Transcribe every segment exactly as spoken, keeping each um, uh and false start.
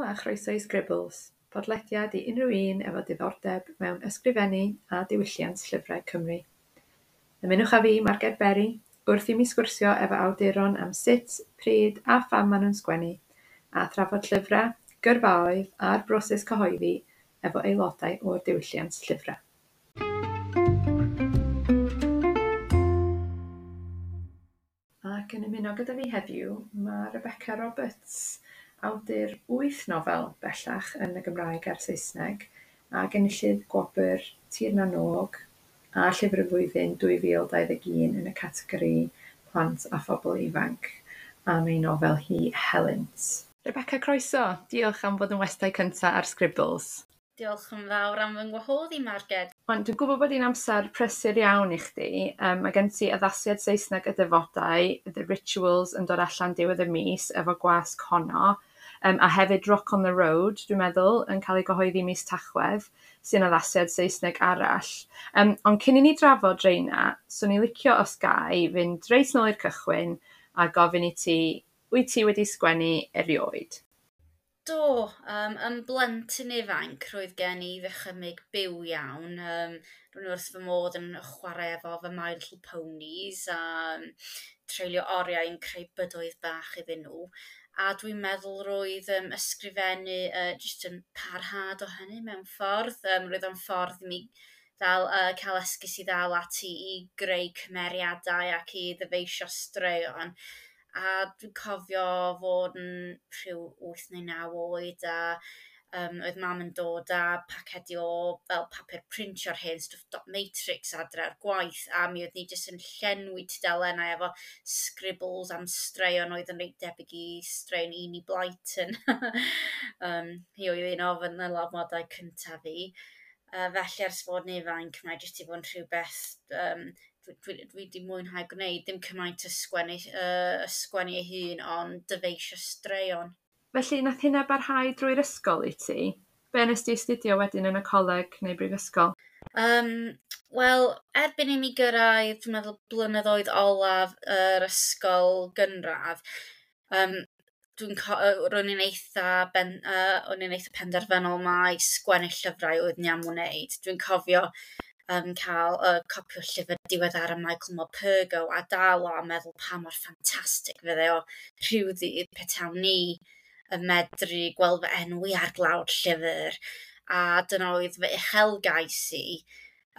a chroeso i Sgribls, podlediad i unrhyw un efo diddordeb mewn ysgrifennu a diwylliant llyfrau Cymru. Ymunwch â fi, Marged Berry, wrth i mi sgwrsio efo awduron am sut, pryd a pham maen nhw'n sgwennu, a thrafod llyfrau, gyrfaoedd a'r broses cyhoeddi efo aelodau o'r diwylliant llyfrau. Ac yn ymuno gyda fi heddiw mae Rebecca Roberts, awdur wyth nofel bellach yn y Gymraeg a'r Saesneg, ac enillydd gwobr Tir na n-Og a Llyfr y Flwyddyn dwy fil dau ddeg un yn y categori Plant a Phobl Ifanc am ei nofel hi Helynt. Rebecca, croeso. Diolch am fod yn westai cyntaf ar Sgribls. Diolch yn fawr am fy ngwahodd i, Marged. Wan, dwi'n gwybod bod hi'n amser prysur iawn i chdi. Um, mae gen ti addasiad Saesneg y Defodau, The Rituals, yn dod allan diwedd y mis efo gwasg Honno. Um, a hefyd Rock on the Road, dwi'n meddwl, yn cael ei gyhoeddi mis Tachwedd, sy'n addasiad Saesneg arall. Um, ond cyn i ni drafod reina, swn i'n licio os ga i fynd reit nôl i'r cychwyn a gofyn i ti, wyt ti wedi sgwennu erioed? Do, um, yn blentyn ifanc roedd gen i ddychymyg byw iawn. Um, ro'n i wrth fy modd yn chwarae efo fy My Little Ponies a um, treulio oriau yn creu bydoedd bach iddyn nhw. A dwi'n meddwl roedd um, ysgrifennu uh, jyst yn parhad o hynny mewn ffordd. Um, roedd o'n ffordd i mi ddal, uh, cael esgus i ddal ati i greu cymeriadau ac i ddyfeisio straeon. A dwi'n cofio fod yn rhyw wyth neu naw oed a um, oedd mam yn dod â pacedi o fel papur printio'r hen stwff dot matrix adre ar gwaith, a mi oedd ni jyst yn llenwi tudalennau efo scribbles am straeon oedd yn reit debyg i straeon Enid Blyton. um, hi oedd un o fy nylanwadau cyntaf fi. Uh, felly ers fod yn ifanc mae jyst i fod yn rhywbeth um, dwi, dwi, dwi wedi mwynhau gwneud, ddim cymaint ysgwennu, uh, ysgwennu ei hun, ond dyfeisio straeon. Felly, nath hynna barhau drwy'r ysgol i ti? Be nes di astudio wedyn yn y coleg neu brifysgol? Um, Wel, erbyn i mi gyrraedd, dwi'n meddwl, blynyddoedd olaf yr ysgol gynradd, um, dwi'n co-, yy, ro'n i'n eitha ben-, yy, o'n i'n eitha penderfynol mai sgwennu llyfrau oedd ni am wneud. Dwi'n cofio um, cael uh, copi o llyfr diweddar Michael Morpurgo a dal o a meddwl pa mor ffantastig fydde o rhyw ddydd petawn ni yn medru gweld fy enw i ar glawr llyfr. A dyna oedd fy uchelgais i.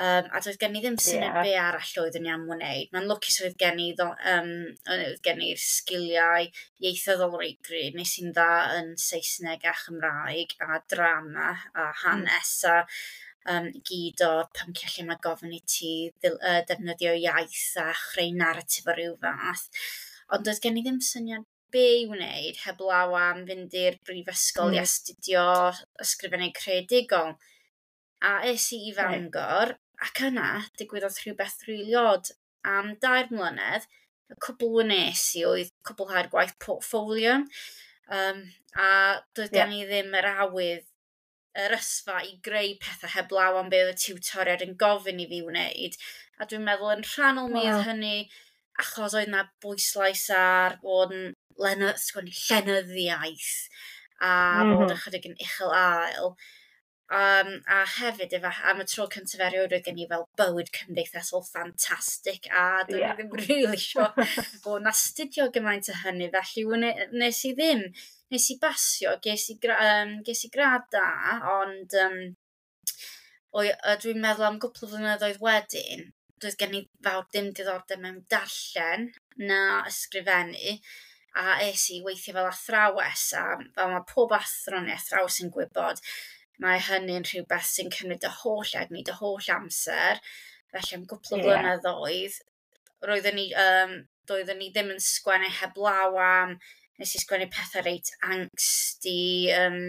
Um, a doedd gen i ddim syniad Ie. be arall oeddwn i am wneud. Mae'n lwcus oedd gen i ddo-, um, oedd gen i'r sgiliau ieithyddol reit gryf. Nes i'n dda yn Saesneg a Chymraeg a drama a hanes a, um, gyd o'r pynciau lle mae gofyn i ti ddil-, yy, defnyddio iaith a chreu naratif o ryw fath. Ond doedd gen i ddim syniad be i wneud heblaw am fynd i'r brifysgol i Mm. astudio ysgrifennu creadigol. A es i i Reit. Fangor, ac yna digwyddodd rhywbeth rili od. Am dair mlynedd, y cwbl wnes i oedd cwblhau'r gwaith portfolio. Um, a doedd Ie. gen i ddim yr awydd, yr ysfa i greu pethau heblaw am be oedd y tiwtoriad yn gofyn i fi wneud. A dwi'n meddwl yn rhannol mi oedd Wow. hynny achos oedd 'na bwyslais ar bod yn lene-, sgwennu llenyddiaeth a bod Mhm. ychydig yn uchel ael. Um, a hefyd, efo, am y tro cyntaf erioed oedd gen i fel bywyd cymdeithasol ffantastig, a do'n i Ie. ddim rili isio bod yn astudio gymaint o hynny, felly wne-, nes i ddim. Nes i basio, ges i gra-, um, ges i gradd da, ond, um, oi, yy, dwi'n meddwl am gwpl o flynyddoedd wedyn, doedd gen i fawr dim diddordeb mewn darllen na ysgrifennu, a es i weithio fel athrawes, a fel mae pob athro neu athrawes yn gwybod, mae hynny'n rhywbeth sy'n cymryd y holl egni, dy holl amser. Felly am gwpl o Ie. blynyddoedd, roeddwn i, um, doeddwn i ddim yn sgwennu heblaw am, nes i sgwennu pethau reit angsty, um,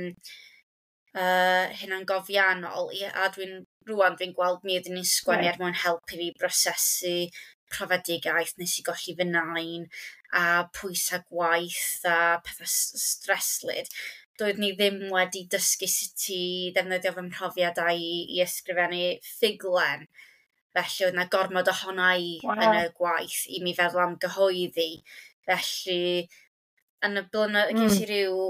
uh, hunangofiannol, i-, a dwi'n, rŵan dwi'n gweld mi oeddwn i'n sgwennu Reit. er mwyn helpu fi brosesu profedigaeth, nes i golli fy nain, a pwysau gwaith a pethau s-, streslyd. Doeddwn i ddim wedi dysgu sut i ddefnyddio fy mhrofiadau i, i ysgrifennu ffuglen. Felly oedd 'na gormod ohona i Wow. yn y gwaith i mi feddwl am gyhoeddi. Felly Yn y blynedd, mm. ges i ryw,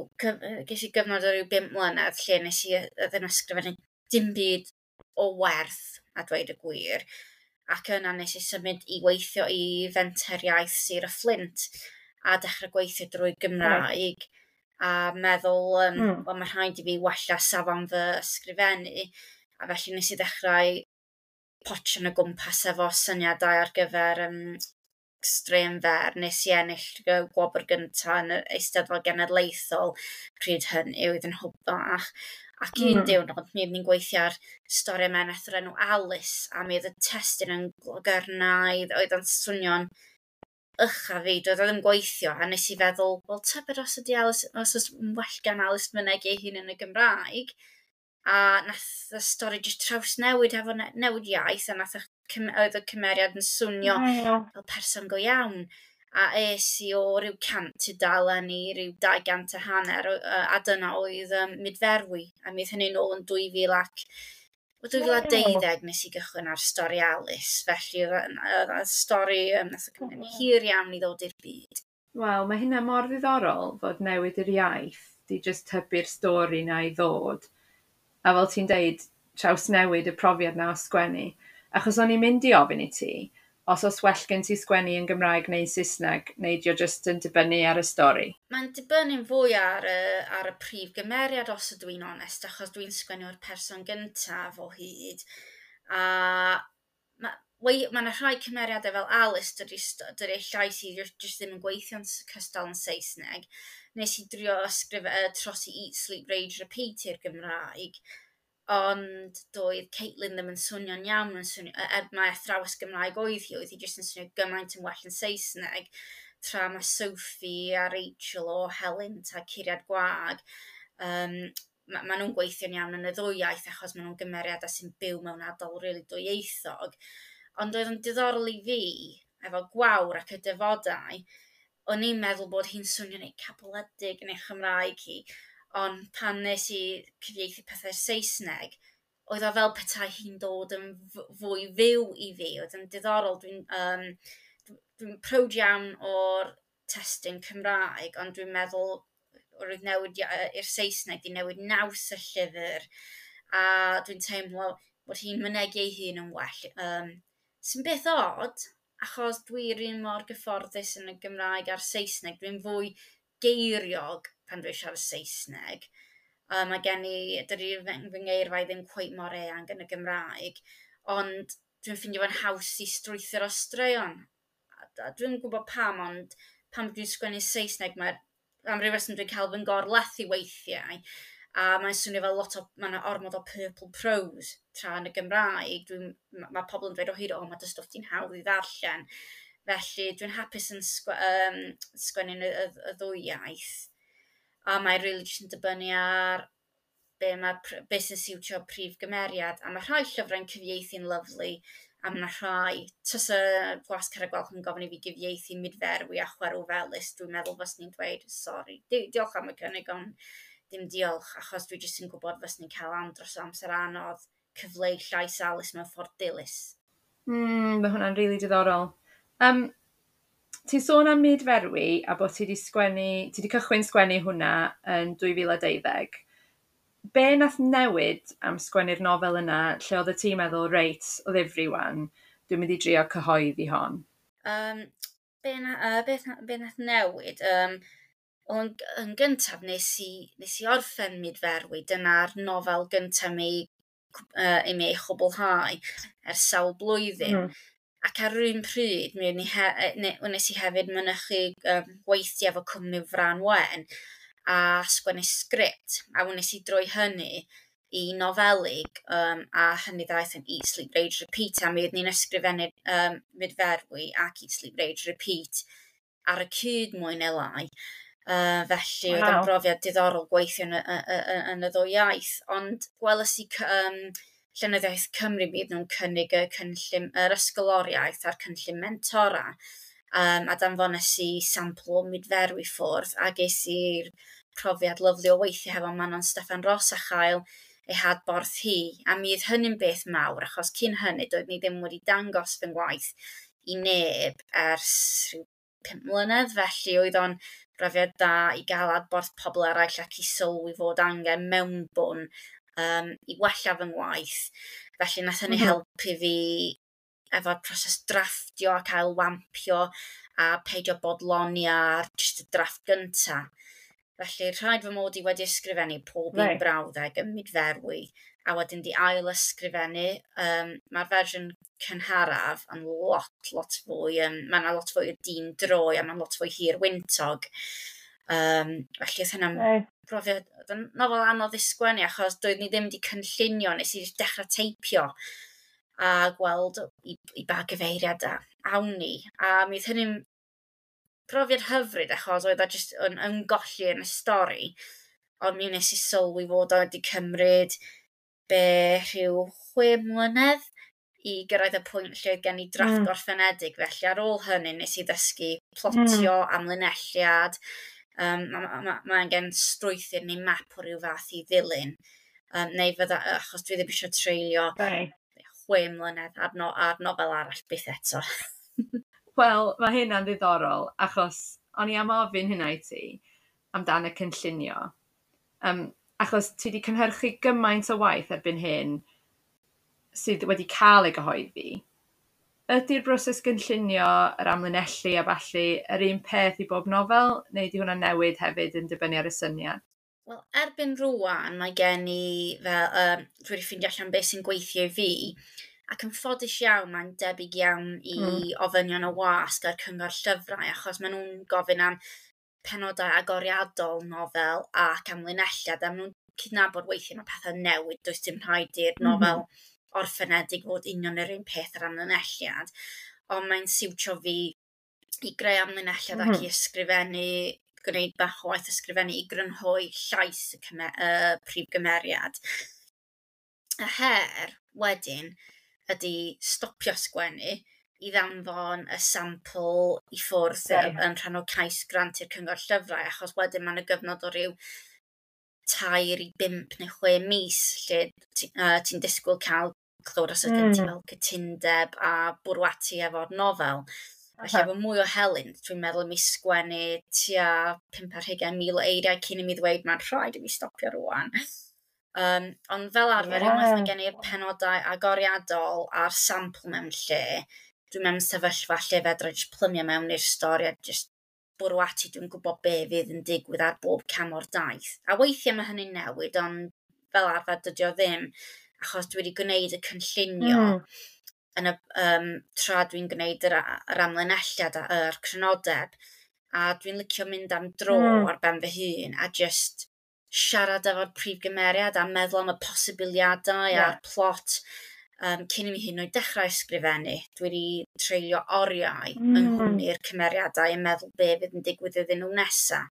ges i gyfnod o ryw bum mlynedd lle nes i ddim ysgrifennu dim byd o werth, a dweud y gwir. Ac yna nes i symud i weithio i Fenter Iaith Sir y Fflint a dechrau gweithio drwy Gymraeg a meddwl, um, mm. wel, mae rhaid i fi wella safon fy ysgrifennu. A felly nes i ddechrau potio yn y gwmpas efo syniadau ar gyfer um, straeon fer. Nes i ennill y gwobr gyntaf yn yr Eisteddfod Genedlaethol pryd hynny, oedd yn hwb bach. Ac un mm. diwrnod, mi oeddwn i'n gweithio ar stori meneth o'r enw Alice, a mi oedd y testun yn glogyrnaidd, oedd o'n swnio'n ucha fi, doedd o ddim gweithio, a nes i feddwl, wel, tybed os ydy Alice, os oes well gan Alice mynegi ei hun yn y Gymraeg, a nath y stori jyst trawsnewid efo newid iaith, a nath y, oedd y cymeriad yn swnio wow. fel person go iawn. A es i o ryw cant tudalen i ryw dau gant a hanner, a dyna oedd um, Mudferwi. A mi oedd hynny nôl yn dwy fil ac dwy fil a deuddeg nes i gychwyn ar stori Alice. Felly oedd y stori um, nath o cymryd hir iawn i ddod i'r byd. Wel, mae hynna mor ddiddorol fod newid yr iaith di just hybu'r stori na i ddod. A fel ti'n deud, trawsnewid y profiad na o sgwennu. Achos o'n i'n mynd i ofyn i ti, os oes well gen ti sgwennu yn Gymraeg neu Saesneg, neu dio jyst yn dibynnu ar y stori? Mae'n dibynnu'n fwy ar y, ar y prif gymeriad, os ydw i'n onest, achos dwi'n sgwennu o'r person gyntaf o hyd. A mae ma yna rhai cymeriadau fel Alice, dydy, dydy llais i jyst ddim yn gweithio'n cystal yn Saesneg. Nes i drio ysgrif, uh, trosi Eat, Sleep, Rage, Repeat i'r Gymraeg, ond doedd Caitlin ddim yn swnio'n iawn, yn swnio, er mae athrawes Gymraeg oedd hi, oedd hi jyst yn swnio gymaint yn well yn Saesneg, tra mae Sophie a Rachel o Helynt a Curiad Gwag, um, ma, ma nhw'n gweithio'n iawn yn y ddwy iaith achos maen nhw'n gymeriadau sy'n byw mewn ardal rili dwyieithog. Ond oedd yn diddorol i fi, efo Gwawr ac y Defodau, o'n i'n meddwl bod hi'n swnio'n ei cabledig yn ei Chymraeg hi, ond pan nes i cyfieithu pethau Saesneg, oedd o fel petai hi'n dod yn fwy fyw i fi. Oedd yn diddorol. Dwi'n um, dwi prowd iawn o'r testun Cymraeg, ond dwi'n meddwl roedd newid i'r Saesneg di newid naws y llyfr, a dwi'n teimlo bod hi'n mynegi ei hun yn well. Um, sy'n beth od, achos dwi'r un mor gyfforddus yn y Gymraeg a'r Saesneg. Dwi'n fwy geiriog pan dwi'n siarad Saesneg. Um, mae gen i, dydy fy, fy ngeirfau ddim cweit mor eang yn y Gymraeg, ond dwi'n ffeindio fo'n haws i strwythuro straeon. A, a dwi'n gwybod pam, ond pan dwi'n sgwennu Saesneg, mae am ryw reswm dwi'n cael fy ngorlethu weithiau, a mae'n swnio fel lot o, mae yna ormod o purple prose tra yn y Gymraeg. Dwi'n, mae ma pobl yn dweud o hyd, o, mae dy stwff ti'n hawdd i ddarllen. Felly dwi'n hapus yn sgwe, um, sgwennu y, y, y ddwy iaith. A mae'n really jyst yn dibynnu ar be, mae, be sy'n siwtio prif gymeriad. A mae rhai llyfrau'n cyfieithu'n lyfli, a mae rhai, tasa Gwasg Carreg Gwalch yn gofyn i fi gyfieithu Mudferwi a Chwerw Felys, dwi'n meddwl fyswn i'n dweud, sori, Di diolch am y cynnig, ond dim diolch, achos dwi jyst yn gwybod fyswn i'n cael andros o amser anodd cyfleu llais Alice mewn ffordd dilys. Mm, mae hwnna'n rili really diddorol. Um, ti'n sôn am Mudferwi a bod ti wedi sgwennu, ti wedi cychwyn sgwennu hwnna yn dwy fil a deuddeg. Be nath newid am sgwennu'r nofel yna lle oedd y ti'n meddwl, reit, o ddifri wan, dwi'n mynd i drio cyhoeddi hon? Um, be, na, uh, be, be nath newid? Um, yn, yn gyntaf nes i, nes i orffen Mudferwi, dyna'r nofel gyntaf mi, uh, i mi ei chwblhau ers sawl blwyddyn. Mm. Ac ar yr un pryd, mi he, ne, wnes i hefyd mynychu um, gweithio efo cwmni Fran Wen a sgwennu sgript, a wnes i droi hynny i nofelig, um, a hynny ddaeth yn Eat, Sleep, Rage, Repeat, a mi oeddwn ni'n ysgrifennu um, Mudferwi ac Eat, Sleep, Rage, Repeat ar y cyd mwy neu lai. Uh, felly wow. Oedd yn brofiad diddorol gweithio yn y, y, y, yn y ddwy iaith, ond gwelais i um, Llenyddiaeth Cymru mi nhw'n cynnig y cynllun, yr ysgoloriaeth a'r cynllun mentora, um, a danfones i sampl o Mudferwi ffwrdd, a ges i'r profiad lyfli o weithio hefo Manon Steffan Ros a chael ei hadborth hi, a mi oedd hynny'n beth mawr, achos cyn hynny doedd ni ddim wedi dangos fy ngwaith i neb ers rhyw pump mlynedd, felly oedd o'n brofiad da i gael adborth pobl eraill ac i sylwi fod angen mewnbwn um, i wella fy ngwaith. Felly nath hynny mm -hmm. helpu fi efo'r proses drafftio ac ailwampio a peidio bodloni ar jyst y drafft gynta. Felly rhaid fy mod i wedi ysgrifennu pob un right. brawddeg yn mudferwi a wedyn di ail ysgrifennu. Um, Mae'r fersiwn cynharaf yn lot, lot fwy, um, mae yna lot fwy o dyn droi a mae'n lot fwy hir wyntog. Um, felly oedd hynna'n right. brofiad, oedd yn nofel anodd i sgwennu achos doedd ni ddim wedi cynllunio, nes i dechrau teipio a gweld i, i ba gyfeiriad a awn ni. A mi oedd hynny'n profiad hyfryd achos oedd o jyst yn ymgolli yn y stori. Ond mi wnes i sylwi fod o wedi cymryd be rhyw chwe mlynedd i gyrraedd y pwynt lle oedd gen i drafft mm. gorffenedig. Felly ar ôl hynny nes i ddysgu plotio, mm. amlinelliad. Um, Mae ma, ma, ma angen strwythur neu map o ryw fath i ddilyn. Um, neu fydda, achos dwi ddim eisiau treulio right. chwe mlynedd ar, no, ar nofel arall byth eto. Wel, mae hynna'n ddiddorol, achos o'n i am ofyn hynna i ti amdan y cynllunio. Um, achos ti wedi cynhyrchu gymaint o waith erbyn hyn sydd wedi cael ei gyhoeddi. Ydy'r broses gynllunio, yr amlinellu a ballu, yr un peth i bob nofel, neu ydy hwnna'n newid hefyd yn dibynnu ar y syniad? Wel, erbyn rwan, mae gen i, fel, um, dwi wedi ffeindio allan beth sy'n gweithio i fi, ac yn ffodus iawn, mae'n debyg iawn i mm. ofynion y wasg a'r cyngor llyfrau, achos maen nhw'n gofyn am penodau agoriadol nofel ac amlinelliad, a maen nhw'n cydnabod weithiau mae pethau newid, does dim rhaid i'r nofel mm -hmm. orffenedig fod union yr un peth ar amlinelliad, ond mae'n siwtio fi i greu amlinelliad mm -hmm. ac i ysgrifennu, gwneud bach o waith ysgrifennu i grynhoi llais y cyme, uh, prif gymeriad. Y her wedyn ydy stopio sgwennu i ddanfon y sampl i ffwrdd yeah. yn rhan o cais grant i'r cyngor llyfrau, achos wedyn mae'n y gyfnod o ryw tair i bump neu chwe mis lle ti'n uh, ti disgwyl cael clywed os ydyn mm. ti fel cytundeb a bwrw ati efo'r nofel. Felly efo mwy o helynt, dwi'n meddwl i mi sgwennu tua pump ar hugain mil o eiriau cyn i mi ddweud mae'n rhaid i mi stopio rwan. Um, ond fel arfer, yeah. unwaith mae gen i'r penodau agoriadol a'r sampl mewn lle, dwi'n mewn sefyllfa lle fedra jyst plymio mewn i'r stori a jyst bwrw ati, dwi'n gwybod be fydd yn digwydd ar bob cam o'r daith. A weithiau mae hynny'n newid, ond fel arfer dydy o ddim, achos dwi wedi gwneud y cynllunio mm. yn y, um, tra dwi'n gwneud yr, yr amlinelliad a'r crynodeb, a dwi'n licio mynd am dro mm. ar ben fy hun a just siarad efo'r prif gymeriad a meddwl am y posibiliadau yeah. a'r plot um, cyn i mi hyd yn oed dechrau ysgrifennu. Dwi wedi treulio oriau mm. yng nghwmni'r cymeriadau yn meddwl be fydd yn digwydd iddyn nhw nesa.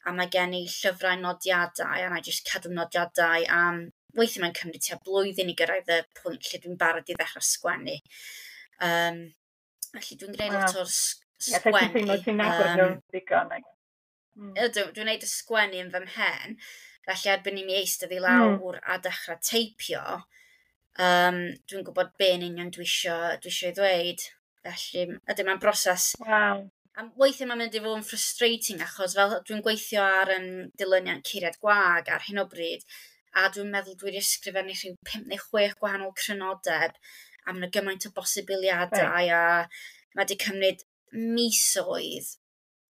A mae gen i llyfrau nodiadau, a na i jyst cadw nodiadau am... Weithiau mae'n cymryd tua blwyddyn i gyrraedd y pwynt lle dwi'n barod i ddechrau sgwennu. Um, felly dwi'n gwneud wow. lot o'r sgwennu. Ie, ti'n teimlo ti'n nabod nhw'n ddigon. Mm. Ydw, dwi'n gwneud y sgwennu yn fy mhen. Felly erbyn i mi eistedd i lawr mm. a dechrau teipio, um, dwi'n gwybod be yn union dwi isio, dwi isio ei ddweud. Felly, ydw, mae'n broses. Wow. A weithiau mae'n mynd i fod yn frustrating, achos fel dwi'n gweithio ar um, dilyniant Curiad Gwag ar hyn o bryd, a dwi'n meddwl dwi wedi ysgrifennu rhyw pump neu chwech gwahanol crynodeb, a mae yna gymaint o bosibiliadau, right. a mae wedi cymryd misoedd,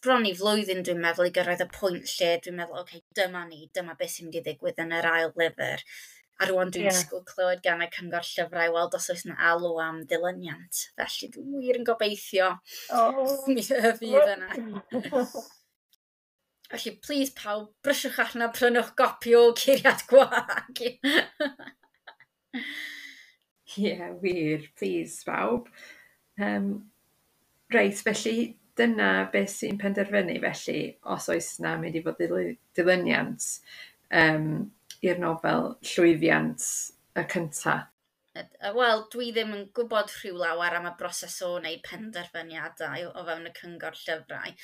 bron i flwyddyn dwi'n meddwl i gyrraedd y pwynt lle dwi'n meddwl, oce, okay, dyma ni, dyma beth sy'n mynd i ddigwydd yn yr ail lyfr. A rwan dwi'n yeah. disgwyl clywed gan y cyngor llyfrau weld os oes yna alw am dilyniant. Felly dwi'n wir yn gobeithio oh. mi fydd yna. Felly, please pawb, brysiwch allan a prynwch gopi o Curiad Gwag. Ie, yeah, wir, please pawb. Um, reit, felly dyna beth sy'n penderfynu felly os oes na mynd i fod dilyniant um, i'r nofel llwyddiant y cynta. Wel, dwi ddim yn gwybod rhyw lawer am y broses o wneud penderfyniadau o fewn y cyngor llyfrau.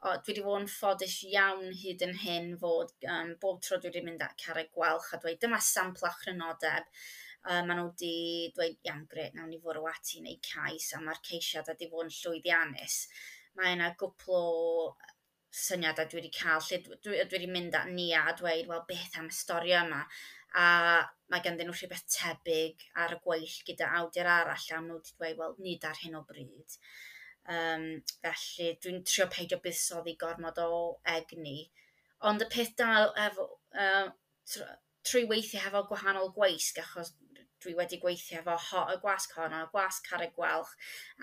O, dwi wedi bod yn ffodus iawn hyd yn hyn fod um, bob tro dwi wedi mynd at Carreg Gwalch a dweud dyma sampl a chrynodeb. Uh, maen nhw wedi dweud, iawn, gret, nawn ni fwrw ati i wneud cais, a mae'r ceisiad wedi bod yn llwyddiannus. Mae yna gwpl o syniadau dwi wedi cael, lle dwi, dwi wedi mynd at Nia a dweud, "Wel, beth am y stori yma?" A mae ganddyn nhw rhywbeth tebyg ar y gweill gyda awdur arall, a nhw wedi dweud, "Wel, nid ar hyn o bryd." Um, felly dwi'n trio peidio buddsoddi gormod o egni. Ond y peth da efo, uh, trwy weithio hefo gwahanol gweisg, achos dwi wedi gweithio efo ho, y gwasg honno, gwasg Carreg Gwalch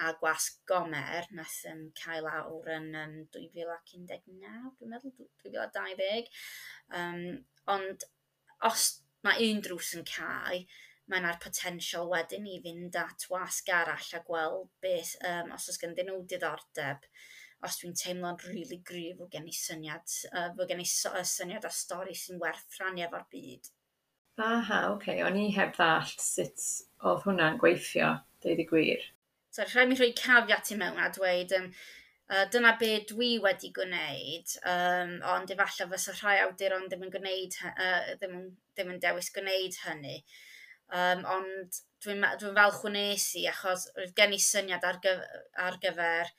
a gwasg Gomer, nath um, cael awr yn um, dwy fil un deg naw, dwi'n meddwl, dwy fil a dau ddeg. Um, ond os mae un drws yn cau, mae yna'r potensial wedyn i fynd at wasg arall a gweld beth, um, os oes ganddyn nhw diddordeb, os dwi'n teimlo'n rili really gryf fod gen i syniad, uh, fod gen i syniad a stori sy'n werth rhannu efo'r byd. Aha, oce. Okay. O'n i heb ddallt sut oedd hwnna'n gweithio, deud y gwir. So, rhaid mi rhoi caveat i mewn a dweud, um, uh, dyna be dwi wedi gwneud, um, ond efallai fysa rhai awduron ddim yn gwneud, uh, ddim, yn, ddim yn dewis gwneud hynny. Um, ond dwi'n dwi falch wnes i, achos roedd gen i syniad ar, gyf ar gyfer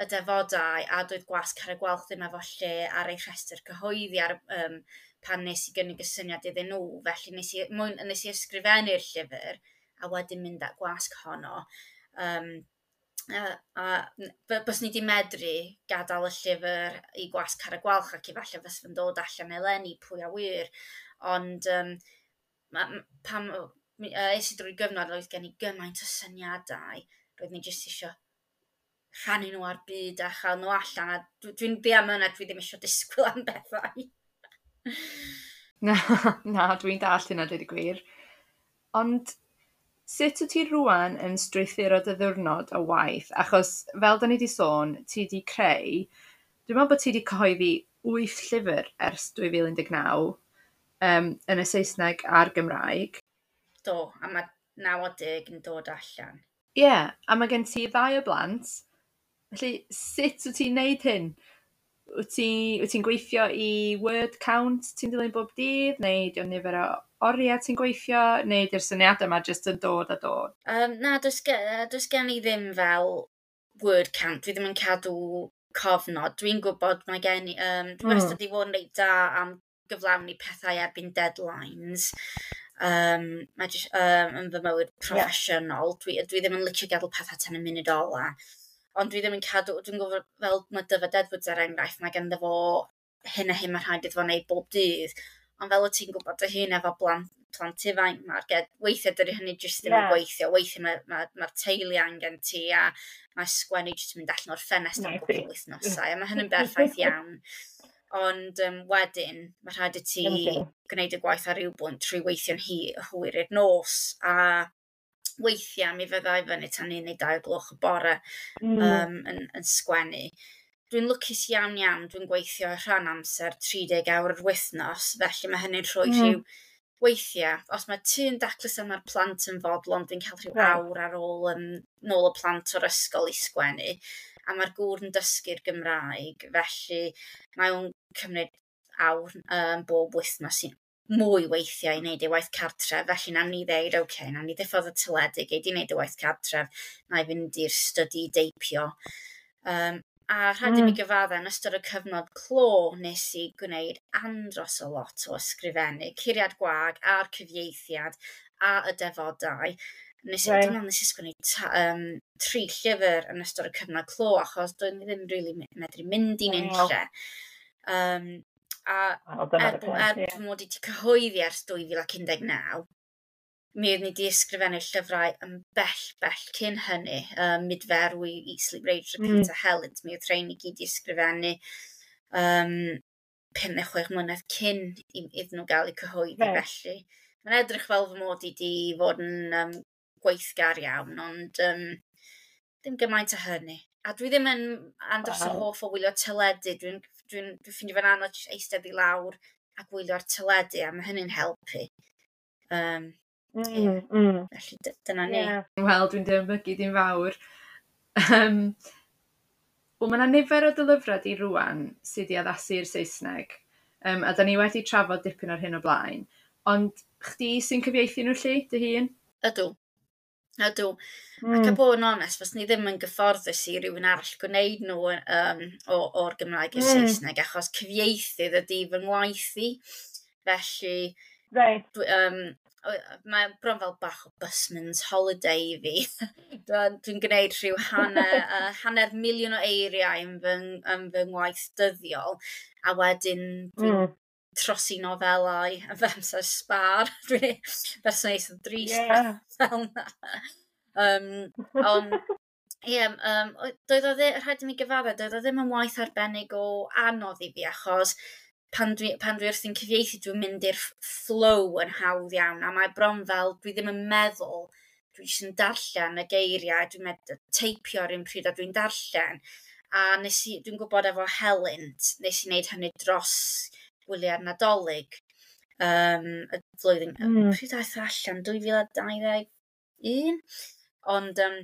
y defodau a doedd gwasg Carreg Gwalch ddim efo lle ar ei rhestr cyhoeddi ar, um, pan nes i gynnig y syniad iddyn nhw. Felly nes i, mwyn, nes i ysgrifennu'r llyfr a wedyn mynd at gwasg honno. Um, a, a bys ni di medru gadael y llyfr i gwasg Carreg Gwalch ac efallai fys fy'n dod allan eleni, pwy a wyr. Ond um, ma, pam uh, es i drwy gyfnod oedd gen i gymaint o syniadau, roedd ni jyst eisiau rhannu nhw ar byd a chael nhw allan. A dwi'n dwi ddiamynedd, dwi ddim eisiau disgwyl am bethau. Na, na, dwi'n dallt hynna, dweud y gwir. Ond sut wyt ti rwan yn strwythuro dy ddiwrnod o waith? Achos fel da ni wedi sôn, ti wedi creu, dwi'n meddwl bod ti wedi cyhoeddi wyth llyfr ers dwy fil un deg naw um, yn y Saesneg a'r Gymraeg. Do, a mae naw o deg yn dod allan. Ie, yeah, a mae gen ti ddau o blant. Felly, sut wyt ti'n neud hyn? Wyt ti'n ti gweithio i word count ti'n dilyn bob dydd, neu di o'n nifer o oriau ti'n gweithio, neu di'r syniadau yma jyst yn dod a dod? Um, na, does, does gen i ddim fel word count. Dwi ddim yn cadw cofnod. Dwi'n gwybod mae gen i... Um, dwi mm. wastad i fod yn reit da am gyflawni pethau erbyn deadlines. Um, mae jyst, um, yn fy mywyd proffesiynol. Yeah. Dwi, dwi ddim yn licio gadael pethau tan y munud ola. Ond dwi ddim yn cadw, dwi'n gwybod fel mae Dyfed Edwards er enghraifft, mae ganddo fo hyn a hyn mae rhaid iddo fo wneud bob dydd. Ond fel wyt ti'n gwybod dy hun efo blant, plant ifanc, mae'r weithiau dydy hynny jyst ddim yeah. yn gweithio. Weithiau mae'r ma, ma, ma teulu angen ti a mae sgwennu jyst yn mynd allan o'r ffenest am gwbl wythnosau. A mae hynny'n berffaith iawn. Ond um, wedyn, mae rhaid i ti gwneud y gwaith ar ryw bwynt trwy weithio'n hi hwyr i'r nos. A weithiau mi fyddai fyny tan un neu dau gloch y bore mm. um, yn, yn sgwennu. Dwi'n lwcus iawn iawn, dwi'n gweithio rhan amser tri deg awr yr wythnos, felly mae hynny'n rhoi mm. rhyw weithiau, os mae tŷ'n daclus a mae'r plant yn fodlon, dwi'n cael rhyw right. awr ar ôl um, nôl y plant o'r ysgol i sgwennu. A mae'r gŵr yn dysgu'r Gymraeg, felly mae o'n cymryd awr um, bob wythnos i mwy weithiau i wneud ei waith cartref, felly nawn ni ddeud, "Oce, okay, nawn ni ddiffodd y teledu, gei di wneud y waith cartref, na i fynd i'r study deipio." Um, a rhaid mm. i mi mm. gyfadde, yn ystod y cyfnod clo nes i gwneud andros o lot o ysgrifennu, Curiad Gwag a'r cyfieithiad a y defodau. Nes i, right. dwi'n meddwl nes i sgwennu ta, um, tri llyfr yn ystod y cyfnod clo, achos doeddwn i ddim really medru mynd i'n unlle. Um, a oh, er, er yeah. mod i wedi cyhoeddi ers dwy fil un deg naw, mi oeddwn i wedi ysgrifennu llyfrau yn bell, bell cyn hynny. Um, Mudferwi, Eat Sleep Rage, Repeat mm. a Helynt. Mi oedd rhain i gyd i ysgrifennu um, pum neu chwech mlynedd cyn iddyn nhw gael eu cyhoeddi. Right. Felly, mae'n edrych fel fy mod i wedi fod yn um, gweithgar iawn, ond um, ddim gymaint o hynny. A dwi ddim yn andros o hoff o wylio teledu. Dwi'n dwi dwi ffeindio fe'n anodd eistedd i lawr a gwylio'r teledu, a mae hynny'n helpu. Um, mm, yeah. mm. Felly dyna ni. Yeah. Wel, dwi'n dychmygu dim fawr. Um, Wel, mae yna nifer o dy lyfrau di rwan sydd wedi addasu i'r Saesneg, um, a da ni wedi trafod dipyn ar hyn o blaen. Ond chdi sy'n cyfieithu nhw lly, dy hun? Ydw. Ydw. Mm. Ac a bod yn onest, fyswn i ddim yn gyfforddus i rywun arall gwneud nhw um, o'r Gymraeg i'r mm. Saesneg, achos cyfieithydd ydy fy ngwaith i. Felly, right. dwi, um, mae bron fel bach o busman's holiday i fi. Dwi'n dwi gwneud rhyw hanner, uh, hanner miliwn o eiriau yn fy, yn fy ngwaith dyddiol, a wedyn dwi'n mm. trosi nofelau yn fy amser sbar. Dwi'n berson eitha drist yeah. fel na. Um, ond, ie, yeah, um, doedd o ddim, rhaid i mi gyfadde, doedd o ddim yn waith arbennig o anodd i fi, achos pan dwi, pan dwi wrthi'n cyfieithu, dwi'n mynd i'r flow yn hawdd iawn, a mae bron fel, dwi ddim yn meddwl, dwi jyst yn darllen y geiriau, dwi'n med- teipio ar un pryd a dwi'n darllen. A nes i, dwi'n gwybod efo Helynt, nes i wneud hynny dros gwyliau'r Nadolig, um, y flwyddyn, mm. pryd aeth allan, dwy fil a dau ddeg un? Ond um,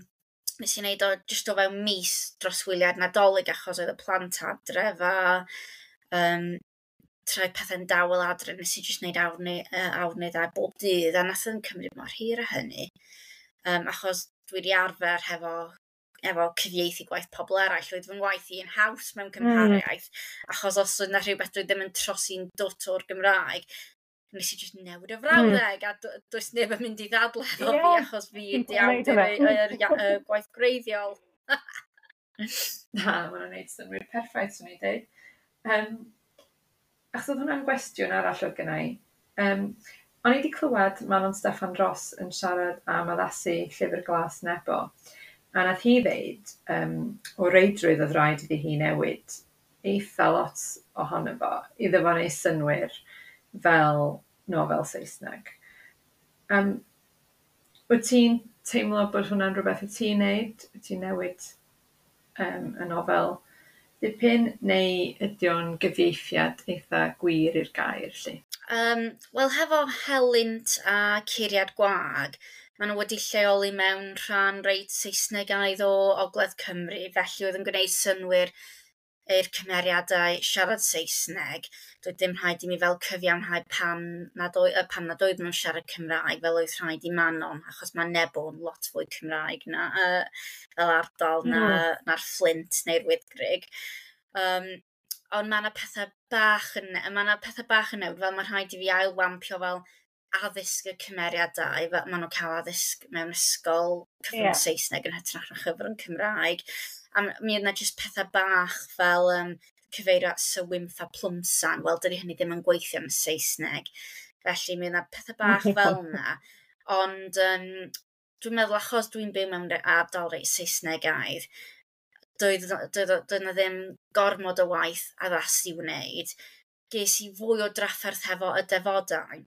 nes i wneud o jyst o fewn mis dros wyliau'r Nadolig achos oedd y plant adref a um, troi pethau'n dawel adre, nes i jyst wneud awr neu, uh, awr neu ddau bob dydd, a nath o'n cymryd mor hir a hynny. Um, achos dwi wedi arfer hefo, efo cyfieithu gwaith pobl eraill, oedd fy ngwaith i yn haws mewn cymhariaeth, mm. achos os oedd 'na rhywbeth dwi ddim yn trosi'n dwt o'r Gymraeg, nes i jyst newid y frawddeg, mm. a does neb yn mynd i ddadle efo yeah. fi, achos fi ydi awdur y, y, y, y gwaith gwreiddiol. Na, ma' hwnna'n neud synnwyr perffaith, swn i'n deud. Um, achos oedd hwnna'n gwestiwn arall oedd gynna i. Um, o'n i wedi clywed Manon Steffan Ros yn siarad am addasu Llyfr Glas Nebo, a nath hi ddeud um, o reidrwydd oedd rhaid iddi hi newid eitha lot ohono fo, iddo fo wneud synnwyr fel nofel Saesneg. Um, wyt ti'n teimlo bod hwnna'n rhywbeth wyt ti'n neud? Wyt ti'n newid um, y nofel dipyn, neu ydy o'n gyfieithiad eitha gwir i'r gair, lly? Um, Wel, hefo Helynt a Curiad Gwag, maen nhw wedi lleoli mewn rhan reit Saesnegaidd o Ogledd Cymru, felly oedd yn gwneud synnwyr i'r cymeriadau siarad Saesneg. Doedd dim rhaid i mi fel cyfiawnhau pam nad, oed, pam nad oedden nhw'n siarad Cymraeg fel oedd rhaid i Manon, achos mae Nebo'n lot fwy Cymraeg na, uh, fel ardal na, mm. na'r Fflint neu'r Wyddgrug. Um, ond mae yna pethau bach yn, mae yna pethau bach yn newid, fel mae rhaid i fi ailwampio fel addysg y cymeriadau, fel maen nhw'n cael addysg mewn ysgol cyfrwng yeah. Saesneg yn hytrach na chyfrwng Cymraeg. A mi oedd yna jyst pethau bach fel um, cyfeirio at Sir Wynff a Plwmsan. Wel, dydy hynny ddim yn gweithio yn Saesneg. Felly mi oedd yna pethau bach fel yna. Ond um, dwi'n meddwl achos dwi'n byw mewn ardal reit Saesnegaidd, doedd, doedd, doedd yna ddim gormod o waith addas i wneud. Ges i fwy o drafferth hefo y defodau,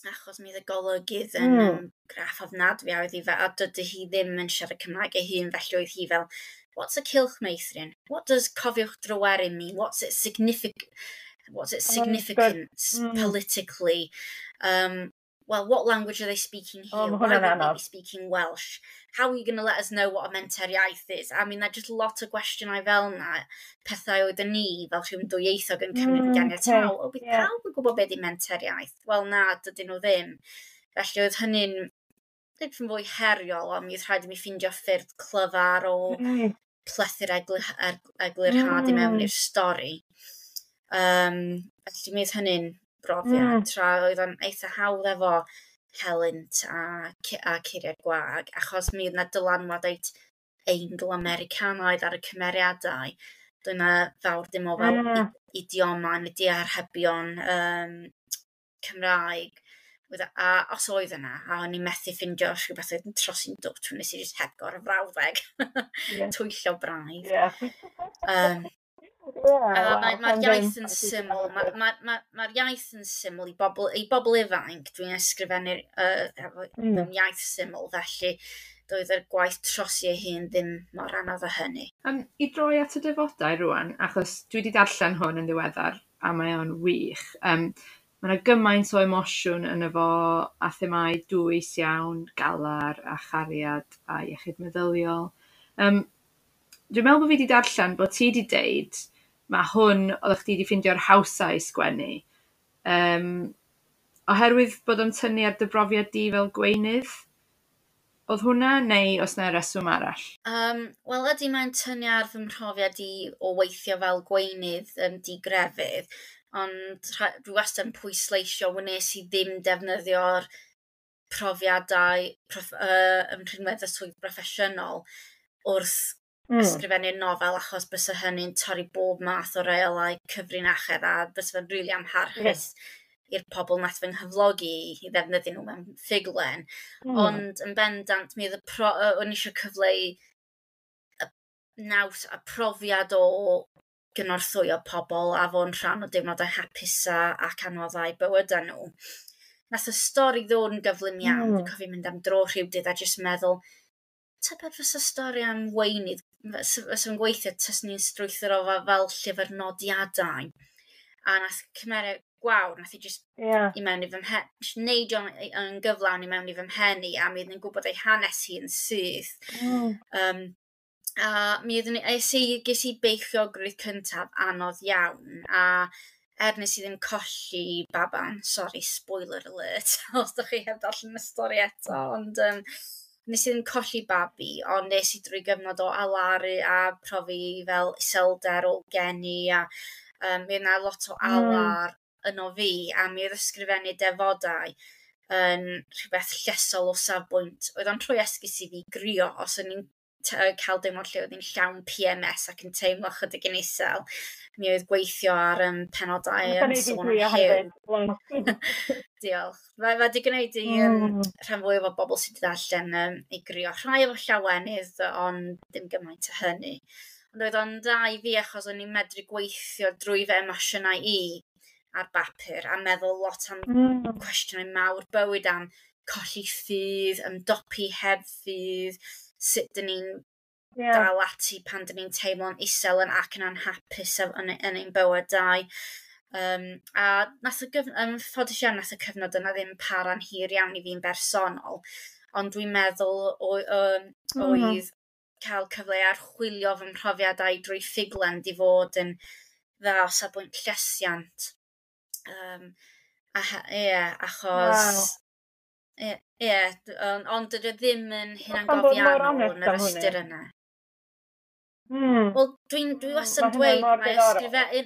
achos mi oedd y golygydd yn mm. um, graff ofnadwy a oedd hi fel, a dydy hi ddim yn siarad Cymraeg ei hun, felly oedd hi fel, what's a cylch meithrin? What does cofiwch Dryweryn mean? What's its signific what's its significance oh, mm. politically? Um, well, what language are they speaking here? Oh, Why would they be speaking Welsh? How are you going to let us know what a menter iaith is? I mean, that just lot o gwestiynau fel yna, pethau oedden ni fel rhywun dwyieithog yn cymryd mm, ganiataol. O, bydd yeah. pawb yn gwybod beth di menter iaith? Wel, na, dydyn nhw ddim. Felly oedd hynny'n dipyn fwy heriol, ond mi oedd rhaid i mi ffindio ffyrdd clyfar o mm. plethu'r eglur, er, eglurhad mm. i mewn i'r stori. Um, felly mi oedd hynny'n brofiad, mm. tra oedd o'n eitha hawdd efo Helynt a, a Curiad Gwag, achos mi oedd 'na dylanwad reit Eingl-Americanaidd ar y cymeriadau. Doedd 'na fawr dim o fel mm. idioma neu diarhebion um, Cymraeg. A os oedd yna, a o'n i'n methu ffindio rhywbeth oedd yn trosi'n dwt, nes i jyst hepgor y frawddeg. Yeah. Twyllo braidd. Yeah. Um, Yeah, uh, wow, Mae'r ma iaith yn syml, mae'r ma, ma, ma iaith yn syml i bobl, i bobl ifanc. Dwi'n ysgrifennu uh, efo, mm. mewn iaith syml, felly doedd y gwaith trosi ei hun ddim mor anodd â hynny. Um, I droi at y defodau rwan, achos dwi wedi darllen hwn yn ddiweddar a mae o'n wych. Um, mae yna gymaint o emosiwn yn efo a themâu dwys iawn, galar a chariad a iechyd meddyliol. Um, dwi'n meddwl bod fi wedi darllen bod ti wedi deud mae hwn oeddech chdi wedi ffeindio'r hawsa i sgwennu. Um, oherwydd bod o'n tynnu ar dy brofiad di fel gweinydd? Oedd hwnna neu oes 'na reswm arall? Um, Wel, ydy, mae'n tynnu ar fy mhrofiad i o weithio fel gweinydd um, digrefydd, ond dwi wastad yn pwysleisio wnes i ddim defnyddio'r profiadau prof, uh, yn rhinwedd y swydd broffesiynol wrth mm. ysgrifennu'r nofel, achos bysa hynny'n torri bob math o reolau cyfrinachedd a bysa fe'n rili amharchus yeah. i'r pobl nath fy nghyflogi i ddefnyddio nhw mewn ffuglen. Mm. Ond yn bendant, mi oedd y pro, o'n eisiau cyfleu y naws a profiad o gynorthwyo pobl a fo'n rhan o deimladau hapusa ac anoddau bywydau nhw. Nath y stori ddod yn gyflym iawn. Mm. Dwi'n cofio mynd am dro rhywdydd a jyst meddwl, tybed fysa stori am weinydd, fysa yn gweithio tys ni'n strwythuro fel llyfr nodiadau. A nath cymeriad Gwawr, nath i just yeah. i mewn i fy mhen, neidio yn gyflawn i mewn i fy mhen i, a mi oeddwn i'n gwybod ei hanes hi yn syth. Mm. Um, a mi oeddwn i, es i, ges i beichiogrwydd cyntaf anodd iawn, a er nes i ddim colli baban, sorry, spoiler alert, os ydych chi heb darllen y stori eto, ond um, nes i ddim colli babi, ond nes i drwy gyfnod o alaru a profi fel iselder o geni, a um, mi oedd 'na lot o alar mm. yno fi, a mi oedd ysgrifennu defodau yn rhywbeth llesol o safbwynt. Oedd o'n trwy esgus i fi grio os o'n i'n cael deimlad lle oedd hi'n llawn P M S ac yn teimlo chydig yn isel. Mi oedd gweithio ar um, penodau yn sôn am Huw. Diolch. Mae wedi gwneud i um, mm. rhan fwyaf o bobl sydd wedi darllen um, i grio. Rhai efo llawenydd, ond ddim gymaint o hynny. Ond oedd o'n dda i fi achos o'n i'n medru gweithio drwy fy emosiynau i ar bapur a meddwl lot am mm. cwestiynau mawr bywyd, am colli ffydd, ymdopi heb ffydd, sut dyn ni'n yeah. dal ati pan dyn ni'n teimlo'n isel yn ac yn anhapus yn, yn ein bywydau. Um, a nath y gyf- yn ffodus iawn, nath y cyfnod yna ddim para'n hir iawn i fi'n bersonol, ond dwi'n meddwl o, um, mm. oedd cael cyfle archwilio fy mhrofiadau drwy ffuglen di fod yn dda o safbwynt llesiant. Um, a, ie, achos wow. Ie, ie, ond on dydy o ddim yn hunangofiannol yn yr ystyr yna. Mm. Wel, dwi'n dwi wastad yn dweud, mae ysgrifennu,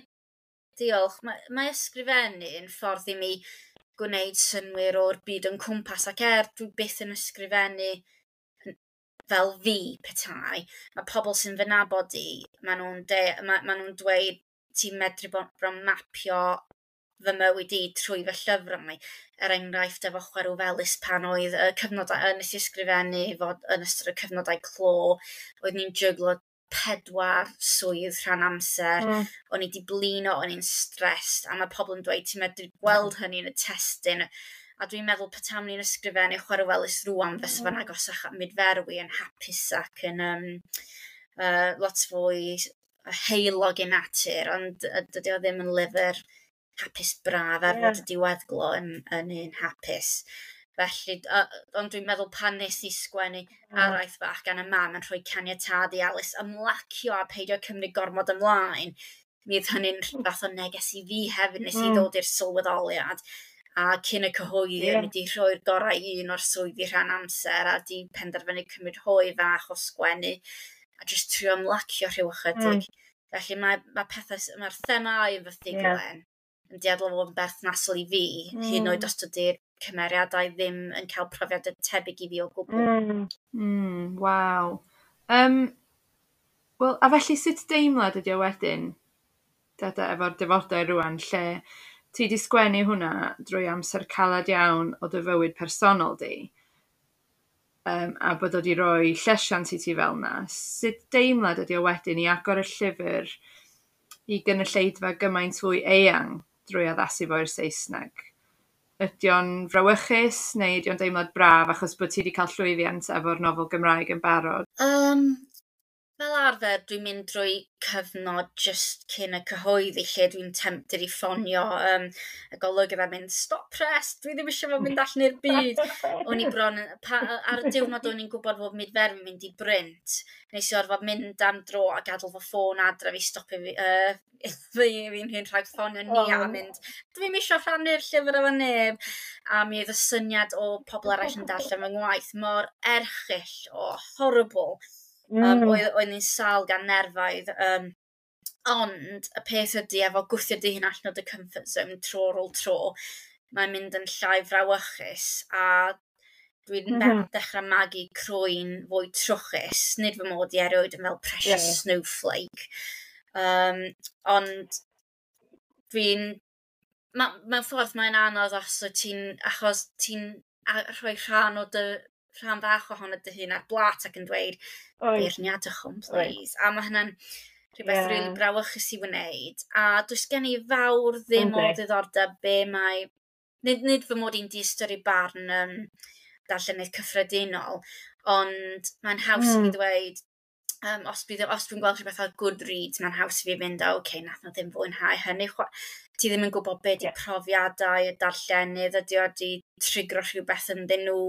diolch, mae, mae ysgrifennu yn ffordd i mi gwneud synnwyr o'r byd yn cwmpas, ac er dwi byth yn ysgrifennu fel fi petai, mae pobl sy'n fy nabod i, maen nhw'n ma, ma nhw'n dweud ti'n medru bron mapio fy mywyd i trwy fy llyfrau. Er enghraifft efo Chwerw Felys pan oedd y cyfnod nes i ysgrifennu fod yn ystod y cyfnodau clo, oedd ni'n jyglo pedwar swydd rhan amser, mm. o'n i di blino, o'n i'n stressed, a mae pobl yn dweud ti'n medru gweld hynny yn y testun, a dwi'n meddwl petam ni'n ysgrifennu Chwerw Felys rŵan fysa fo'n agosach at mudferwi yn hapus ac yn um, uh, lot fwy heulog i natur, ond dydy o ddim yn lyfr hapus braf er yeah. fod y diweddglo yn, yn un hapus. Felly, uh, ond dwi'n meddwl pan nes i sgwennu mm. araith fach gan y mam yn rhoi caniatâd i Alice ymlacio a peidio cymryd gormod ymlaen, mi oedd hynny'n fath o neges i fi hefyd, nes mm. i ddod i'r sylweddoliad. A cyn y cyhoeddi, yeah. o'n i wedi rhoi'r gorau i un o'r swyddi rhan amser a di penderfynu cymryd hoe fach o sgwennu a jyst trio ymlacio rhyw ychydig. Mm. Felly mae, mae pethau, mae'r themâu yn fy ffuglen yeah. yn dueddol o fod yn berthnasol i fi, mm. hyd yn oed os dydy'r cymeriadau ddim yn cael profiadau tebyg i fi o gwbl. Mm. Mm, waw. Um, Wel, a felly sut deimlad ydi o wedyn, Dada, efo'r defodau rŵan, lle ti di sgwennu hwnna drwy amser calad iawn o dy fywyd personol di, um, a bod o di roi llesiant i ti fel 'na. Sut deimlad ydi o wedyn i agor y llyfr i gynulleidfa gymaint fwy eang drwy addasu fo i'r Saesneg? Ydy o'n frawychus neu ydy o'n deimlad braf achos bod ti wedi cael llwyddiant efo'r nofel Gymraeg yn barod? Um, Fel arfer, dwi'n mynd drwy cyfnod just cyn y cyhoeddi lle dwi'n tempted i ffonio um, y golygydd a mynd, "Stop press, dwi ddim eisiau fo mynd allan i'r byd." O'n i bron, pa, ar y diwrnod o'n i'n gwybod fod Mudferwi mynd i brint, nes i orfod mynd am dro a gadael fy ffôn adre fi stopio fi, uh, fi fi'n hun rhag ffonio ni oh. a mynd, "Dwi'm eisiau rhannu'r llyfr efo neb." A mi oedd y syniad o pobl eraill yn darllen fy ngwaith mor erchyll o horrible. Mm. Um, oedd, oedd ni'n sâl gan nerfaidd. Um, ond y peth ydy efo gwthio dy hun allan o dy comfort zone tro ar ôl tro, mae'n mynd yn llai frawychus a dwi'n mm -hmm. dechrau magu croen fwy trwchus. Nid fy mod i erioed yn fel precious yeah. snowflake. Um, ond dwi'n... Ma, mewn ffordd mae'n anodd os wyt ti'n... Achos ti'n rhoi rhan o dy rhan fach ohono dy hun ar blat ac yn dweud, "Beirniadwch hwn, please." A mae hynna'n rhywbeth yeah. really brawychus i wneud. A does gen i fawr ddim o ddiddordeb be mae... Nid, nid fy mod i'n diystyru barn um, darllenydd cyffredinol, ond mae'n haws mm. i fi ddweud, um, os, bydd, os dwi'n gweld rhywbeth ar Goodreads, mae'n haws i fi fynd, "O, okay, nath nhw ddim fwynhau hynny." Ti ddim yn gwybod be di yeah. profiadau y darllenydd, ydy o di trigro rhywbeth ynddyn nhw,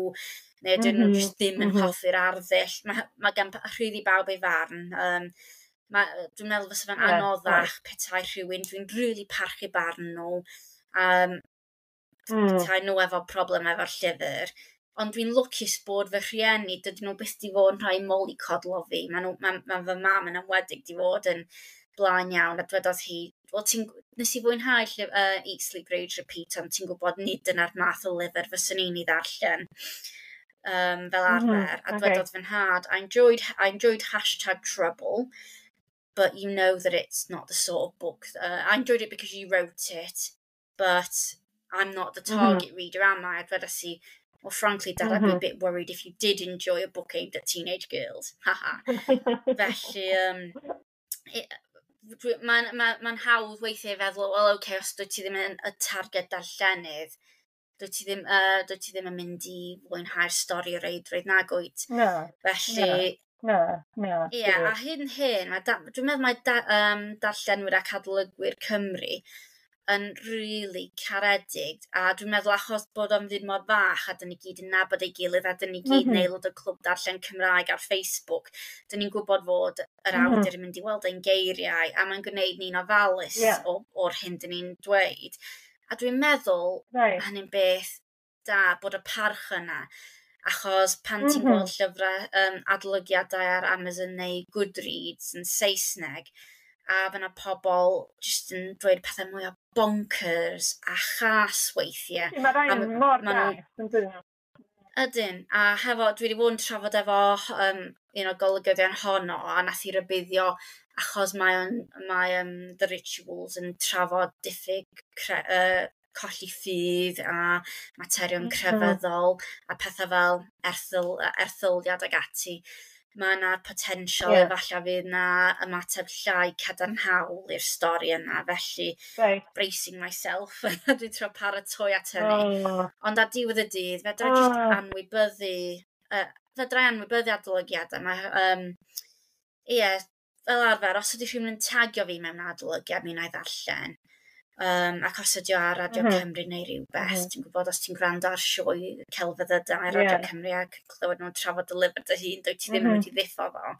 neu ydyn mm -hmm. nhw jyst ddim yn mm -hmm. hoffi'r arddull. Mae, mae gan rhydd i bawb ei farn. Um, ma, dwi'n meddwl fysa fe'n yeah, anoddach right. petai rhywun, dwi'n really parchu barn nhw, um, mm. petai nhw efo problem efo'r llyfr. Ond dwi'n lwcus bod fy rhieni, dydyn nhw byth di fod yn rhai mollycoddlo fi. Mae nhw, ma, ma fy mam yn enwedig di fod yn blaen iawn, a dwedodd hi, "Wel, ti'n, nes i fwynhau llyf, uh, Eat, Sleep, Rage, Repeat, ond ti'n gwybod nid dyna'r math o lyfr fyswn i'n ei ddarllen um, fel arfer." Mm -hmm. A dwedodd okay. fy nhad, I enjoyed, I enjoyed hashtag trouble, but you know that it's not the sort of book. Uh, I enjoyed it because you wrote it, but I'm not the target mm -hmm. reader, am I?" A dwedes i, "Well, frankly, Dad, mm -hmm. I'd be a mm-hmm. bit worried if you did enjoy a book aimed at teenage girls." Haha. Felly, um, mae'n ma, ma hawdd weithiau feddwl, well, okay, os dwyt ti ddim yn y targed darllenydd, dwyt ti ddim, uh, dwyt ti ddim yn mynd i fwynhau'r stori o reidrwydd, nag wyt? No. Felly, Na, na. Ie, yeah, a hyn hyn, mae da, dwi'n meddwl mae da, um, darllenwyr ac adolygwyr Cymru yn really caredig, a dwi'n meddwl achos bod o'n fyd mor fach a dyn ni gyd yn nabod ei gilydd a dyn ni gyd mm -hmm. yn aelod o Clwb Darllen Cymraeg ar Facebook, dyn ni'n gwybod fod yr mm -hmm. awdur yn mynd i weld ein geiriau a mae'n gwneud ni'n ofalus yeah. o, o'r hyn dyn ni'n dweud. A dwi'n meddwl right. hynny'n beth da bod y parch yna, achos pan ti'n mm -hmm. gweld llyfrau um, adolygiadau ar Amazon neu Goodreads yn Saesneg, a fyna pobl jyst yn dweud pethau mwy o bonkers a chas weithiau. Mae rhai yn mor gas, yn dyn nhw. Ydyn, a hefo, dwi wedi bod yn trafod efo um, un o golygyddion Honno, a nath i rybuddio achos mae, on, mae um, The Rituals yn trafod diffyg cre, uh, colli ffydd a materion mm -hmm. crefyddol a pethau fel erthyl, erthyliad ag ati, mae yna potensial yeah. efallai fydd yna ymateb llai cadarnhaol i'r stori yna, felly right. bracing myself, dwi'n trio paratoi at hynny. Oh. Ond ar diwedd y dydd, fedra oh. just anwybyddu, uh, fedra anwybyddu adolygiadau. Mae, um, ie, fel arfer, os ydy rhywun yn tagio fi mewn adolygiad, mi wna i ddarllen. Um, ac os ydy o ar Radio mm -hmm. Cymru neu rhywbeth, mm -hmm. ti'n gwybod os ti'n gwrando ar sioe celfyddydau ar Radio yeah. Cymru ac clywed nhw'n trafod dy lyfr dy hun, dwyt ti ddim mm -hmm. yn mynd i ddiffo fo.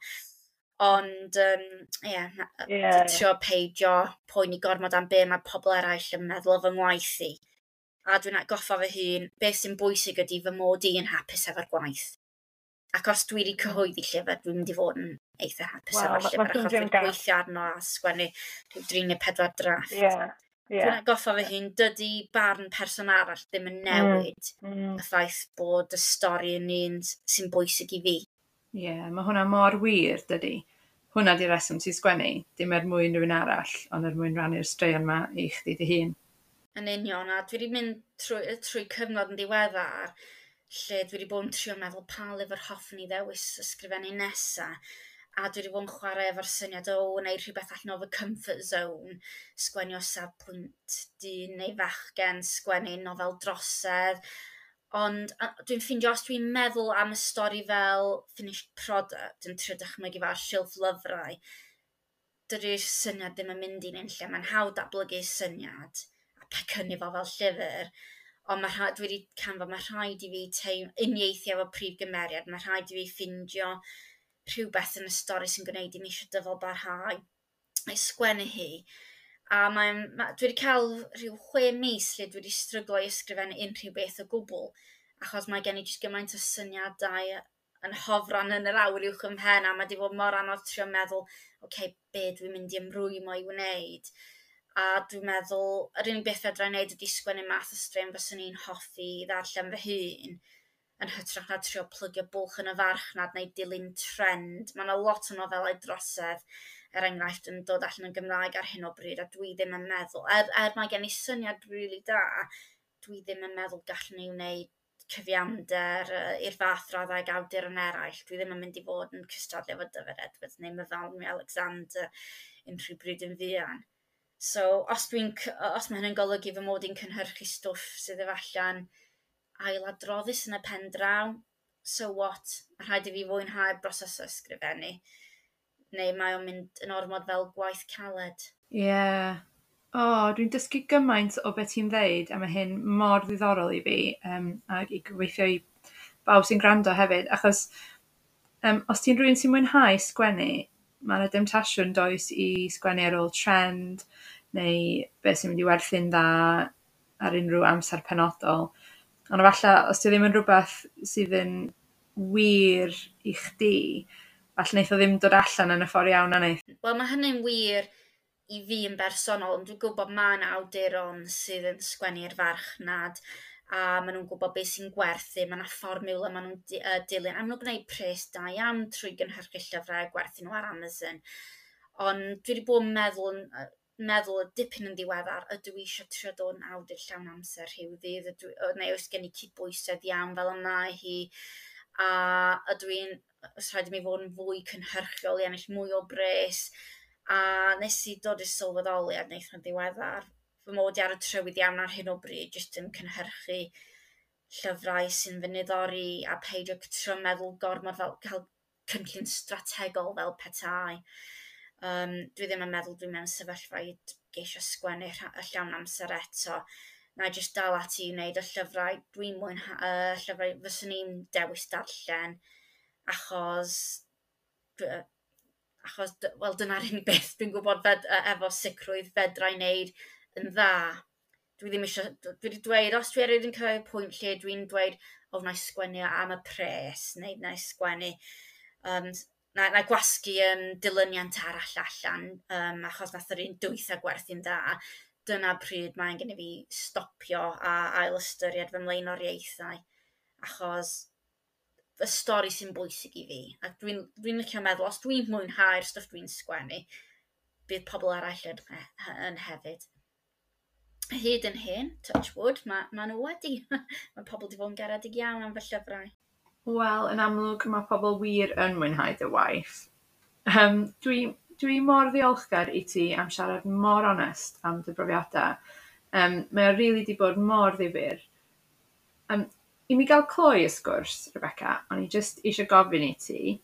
Ond, ie, um, yeah, yeah. trio peidio poeni gormod am be mae pobl eraill yn meddwl o fy ngwaith i. A dwi'n atgoffa fy hun, beth sy'n bwysig ydy fy mod i yn hapus efo'r gwaith. Ac os dwi wedi cyhoeddi llyfr, dwi'n mynd i fod yn eitha hapus wow, efo'r llyfr, achos dwi'n gweithio arno a sgwennu rhyw dri neu pedwar drafft. Yeah. Yeah. Dwi'n atgoffa fy hun, dydy barn person arall ddim yn newid mm. Mm. y ffaith bod y stori yn un sy'n bwysig i fi. Ie, yeah, mae hwnna mor wir, dydy. Hwnna di'r reswm ti'n sgwennu, dim er mwyn rhywun arall, ond er mwyn rannu'r straeon yma i chdi dy hun. Yn union, a dwi wedi mynd trwy, trwy cyfnod yn ddiweddar lle dwi wedi bod yn trio meddwl pa lyfr hoffwn i ddewis ysgrifennu nesa. A dwi wedi bod yn chwarae efo'r syniad o wneud rhywbeth allan o fy comfort zone, sgwennu o safbwynt dyn neu fachgen, sgwennu nofel drosedd. Ond a, dwi'n ffeindio os dwi'n meddwl am y stori fel finished product yn trio dychmygu fel silff lyfrau, dydy'r syniad ddim yn mynd i'n unlle. Mae'n hawdd datblygu syniad a pecynnu fo fel llyfr, ond mae rha, dwi wedi canfod mae rhaid i fi teim, uniaethu efo prif gymeriad, mae rhaid i fi ffindio rhywbeth yn y stori sy'n gwneud i mi eisiau dyfal barhau a'i sgwennu hi. A mae'n, ma, dwi wedi cael rhyw chwe mis lle dwi wedi stryglo i ysgrifennu unrhyw beth o gwbl, achos mae gen i jyst gymaint o syniadau yn hofran yn yr awyr uwch ym mhen, a mae wedi bod mor anodd trio meddwl, oce, okay, be dwi'n mynd i ymrwymo i wneud. A dwi'n meddwl, yr unig beth fedra i wneud ydy sgwennu math o straeon fyswn i'n hoffi i ddarllen fy hun, yn hytrach na trio plygio bwlch yn y farchnad neu dilyn trend. Mae yna lot o nofelau drosedd, er enghraifft, yn dod allan yn Gymraeg ar hyn o bryd, a dwi ddim yn meddwl, er, er mae gen i syniad rili da, dwi ddim yn meddwl gallwn ni wneud cyfiawnder uh, i'r fath raddau ag awduron eraill. Dwi ddim yn mynd i fod yn cystadlu efo Dyfed Edwards neu Myfanwy Alexander unrhyw bryd yn fuan. So, os, dwi'n, os mae hynny'n golygu fy mod i'n cynhyrchu stwff sydd efalla'n ailadroddus yn y pen draw, so what? Mae rhaid i fi fwynhau'r broses o ysgrifennu. Neu mae o'n mynd yn ormod fel gwaith caled. Ie. Yeah. O, oh, dwi'n dysgu gymaint o beth ti'n ddeud, a mae hyn mor ddiddorol i fi, um, ac i gobeithio i bawb sy'n gwrando hefyd, achos um, os ti'n rhywun sy'n mwynhau sgwennu, mae yna demtasiwn does i sgwennu ar ôl trend, neu beth sy'n mynd i werthu'n dda ar unrhyw amser penodol. Ond efallai, os ti ddim yn rhywbeth sydd yn wir i chdi, falle wneith o ddim dod allan yn y ffordd iawn na neith. Wel, mae hynny'n wir i fi yn bersonol, ond dwi'n gwybod mae yna awduron sydd yn sgwennu i'r farchnad, a maen nhw'n gwybod beth sy'n gwerthu, mae yna fformiwla maen nhw'n di, uh, dilyn, a maen nhw'n gwneud pres da iawn trwy gynhyrchu llyfrau a gwerthu nhw ar Amazon. Ond dwi wedi bod yn meddwl, meddwl y dipyn yn ddiweddar, ydw i eisiau trio dod yn awdur llawn amser rhyw ddydd, ydw, neu oes gen i cydbwysedd iawn fel y mae hi, a ydw i'n, os rhaid i mi fod yn fwy cynhyrchiol i ennill mwy o bres, a nes i dod i'r sylweddoliad wnaeth yn ddiweddar, fy mod i ar y trywydd iawn ar hyn o bryd, jyst yn cynhyrchu llyfrau sy'n fy niddori a peidio trio meddwl gormod fel cael cynllun strategol fel petai. Um, dwi ddim yn meddwl dwi mewn sefyllfa i geisio sgwennu y llawn amser eto. Na i jyst dal ati i wneud y llyfrau dwi'n mwynhau, uh, llyfrau fyswn i'n dewis darllen, achos, achos wel, dyna'r unig beth dwi'n gwybod fed, efo sicrwydd fedra i wneud yn dda. Dwi ddim eisiau, dwi wedi dweud, os dwi erioed yn cyrraedd y pwynt lle dwi'n dweud, o, wna i sgwennu am y pres, neu wna i sgwennu, um, na, na gwasgu um, dilyniant arall allan, um, achos nath yr un dwytha gwerthu'n dda, dyna pryd mae'n gen i fi stopio a ail ystyried fy mlaenoriaethau, achos y stori sy'n bwysig i fi. A dwi'n dwi licio meddwl, os dwi'n mwynhau'r stwff dwi'n sgwennu, bydd pobl arall yn, yn hefyd. Hyd yn hyn, touch wood, mae ma nhw wedi. Mae pobl wedi bod yn garedig iawn am fy llyfrau. Wel, yn amlwg mae pobl wir yn mwynhau dy waith. Um, dwi, dwi mor ddiolchgar i ti am siarad mor onest am dy brofiadau. Um, mae o rili di bod mor ddifyr. Um, I mi gael cloi y sgwrs, Rebecca, o'n i jyst eisiau gofyn i ti,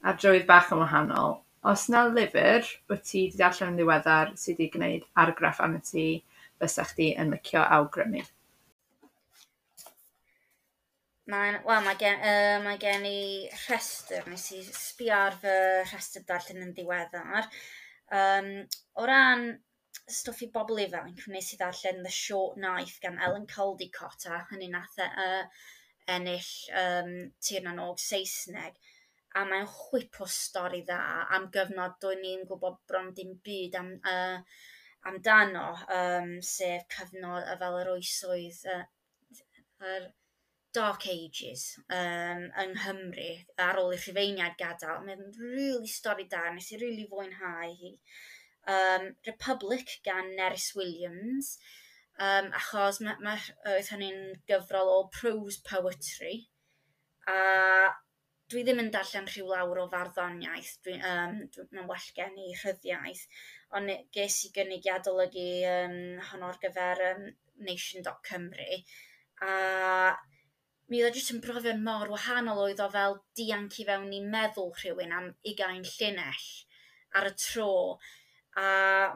ar drywydd bach yn wahanol, os na lyfr wyt ti wedi darllen yn ddiweddar sydd wedi gwneud argraff arno ti, fysa chdi yn licio awgrymu? Mae'n, wel, mae gen, uh, mae gen i rhestr, nes i sbio ar fy rhestr darllen yn ddiweddar. Um, o ran stwff i bobl ifanc, wnes i ddarllen The Short Knife gan Ellen Caldicott, a hynny nath e, uh, ennill um, Tir na n-Og Saesneg. A mae'n chwip o stori dda am gyfnod do'n ni'n gwybod bron dim byd am, uh, amdano, um, sef cyfnod fel yr oesoedd, uh, yr Dark Ages um, yng Nghymru ar ôl i'r Rhufeiniaid gadael. Mae'n really stori da, nes i really fwynhau hi. Um, Republic gan Nerys Williams, um, achos ma, ma, oedd hynny'n gyfrol o prose poetry, a dwi ddim yn darllen rhyw lawr o farddoniaeth, dwi, um, dwi, mae'n well gen i rhyddiaeth, ond ges i gynnig i adolygu um, honno ar gyfer um, nation dot cymru, a Mi oedd o jyst yn brofiad mor wahanol, oedd o fel dianc i fewn i meddwl rhywun am ugain llinell ar y tro, a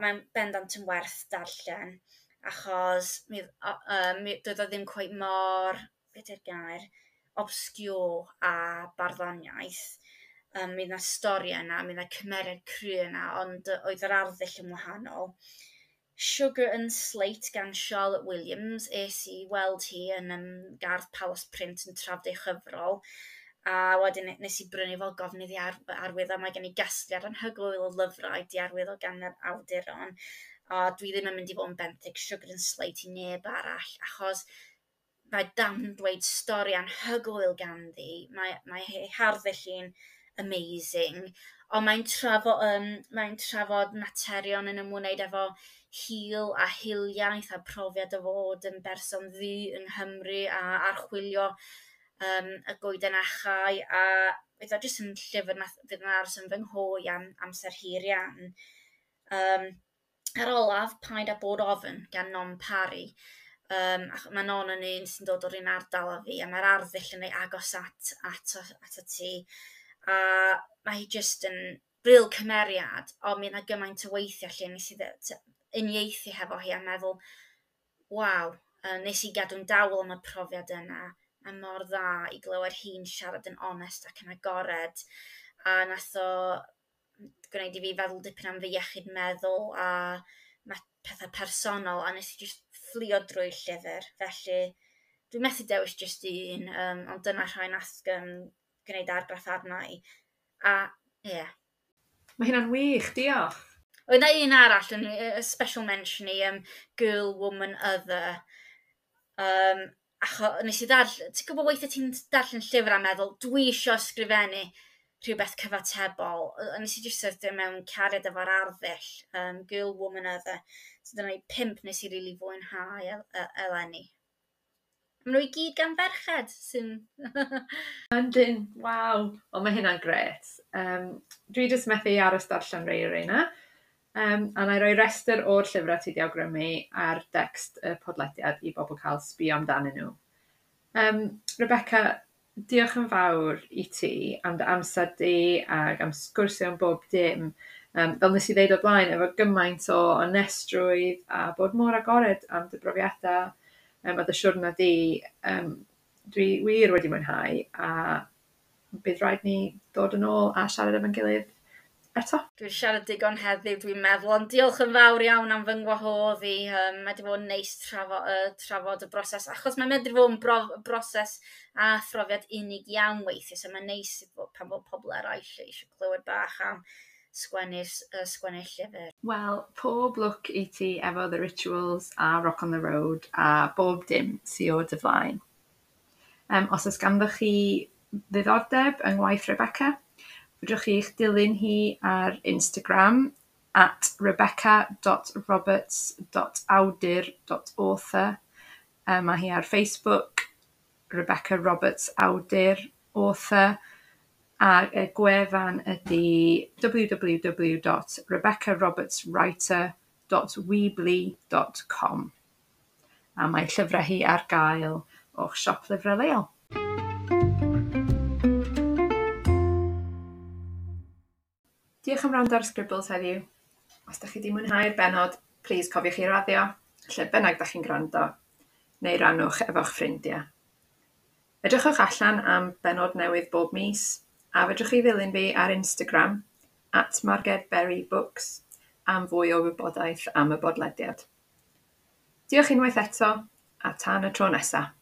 mae'n bendant yn werth darllen, achos mi, uh, mi, doedd o ddim cweit mor, beth yw'r gair, obscure a barddoniaeth. Um, mi yna stori yna, mi yna cymeriad cry yna, ond oedd yr arddull yn wahanol. Sugar and Slate gan Charlotte Williams. Es i weld hi yn um, Gardd Palas Print yn trafod ei chyfrol. A wedyn nes i brynu fel gofyn iddi ar, arwyddo. Mae gen i gasgliad anhygoel o lyfrau di arwyddo gan yr awduron. A dwi ddim yn mynd i fod yn benthyg Sugar and Slate i neb arall, achos mae dan dweud stori anhygoel ganddi. Mae, mae ei harddull hi'n amazing. Ond mae'n trafod, um, mae'n trafod materion yn ymwneud efo hil a hiliaeth a profiad o fod yn berson ddu yng Nghymru a archwilio um, y goeden achau, a oedd o jyst yn llyfr nath fydd yn aros yn fy nghof am amser hir iawn. Um, ar olaf, Paid â Bod Ofn gan Non Parry. Um, mae Non yn un sy'n dod o'r un ardal â fi, a mae'r arddull yn ei agos at, at, at, at ti. A mae hi jyst yn real cymeriad, ond mi yna gymaint o weithiau lle nes i uniaethu hefo hi a meddwl, waw, nes i gadw'n dawel am y profiad yna, a mor dda i glywed hi'n siarad yn onest ac yn agored, a nath o gwneud i fi feddwl dipyn am fy iechyd meddwl a pethau personol, a nes i just fflio drwy'r llyfr, felly dwi'n methu dewis just un, um, ond dyna rhai nath um, gwneud argraff arna i. A, ie. Yeah. Mae hynna'n wych, diolch. Oedd na un arall, yn a special mention i, um, Girl, Woman, Other. Um, acho, nes i ddarllen, ti'n gwybod weithiau ti'n darllen llyfr a meddwl, dwi isio ysgrifennu rhywbeth cyfatebol. A nes i jyst syrthio mewn cariad efo'r arddull, um, Girl, Woman, Other. So dyna i pump nes i rili really fwynhau el eleni. Maen nhw i gyd gan ferched sy'n... Yndyn, waw. Wel, mae hynna'n gret. Um, dwi jyst methu aros darllen rei o'r reina. Um, a na i roi restr o'r llyfrau ti 'di awgrymu ar decst y podlediad i bobl cael sbio amdanyn nhw. Um, Rebecca, diolch yn fawr i ti am dy amser di ac am sgwrsio am bob dim. Um, fel nes i ddeud o'r blaen, efo gymaint o onestrwydd a bod mor agored am dy brofiadau um, a dy siwrna di, um, dwi wir wedi mwynhau a bydd rhaid ni ddod yn ôl a siarad efo'n gilydd eto. Dwi'n siarad digon heddiw, dwi'n meddwl, ond diolch yn fawr iawn am fy ngwahodd i. Um, mae wedi bod yn neis trafod, uh, trafod y broses, achos mae'n medru fod yn brof, broses a phrofiad unig iawn weithiau, so mae'n neis pan bod pobl eraill eisiau clywed bach am sgwennu'r uh, sgwennu llyfr. Wel, pob lwc i ti efo The Rituals a Rock on the Road a bob dim sy o dy flaen. Um, os oes ganddoch chi ddiddordeb yng ngwaith Rebecca, fedrwch chi eich dilyn hi ar Instagram at rebecca dot roberts dot awdur dot author. Um, mae hi ar Facebook, Rebecca Roberts Awdur Author, a y gwefan ydy w w w dot rebecca roberts writer dot weebly dot com. A mae llyfrau hi ar gael o'ch siop lyfrau leol. Diolch am wrando ar Scribbles heddiw. Os dach chi 'di mwynhau'r bennod, plis cofiwch i raddio, lle bynnag dach chi'n gwrando, neu rannwch efo'ch ffrindiau. Edrychwch allan am bennod newydd bob mis, a fedrwch chi ddilyn fi ar Instagram, at Marged Berry Books, am fwy o wybodaeth am y bodlediad. Diolch unwaith eto, a tan y tro nesa.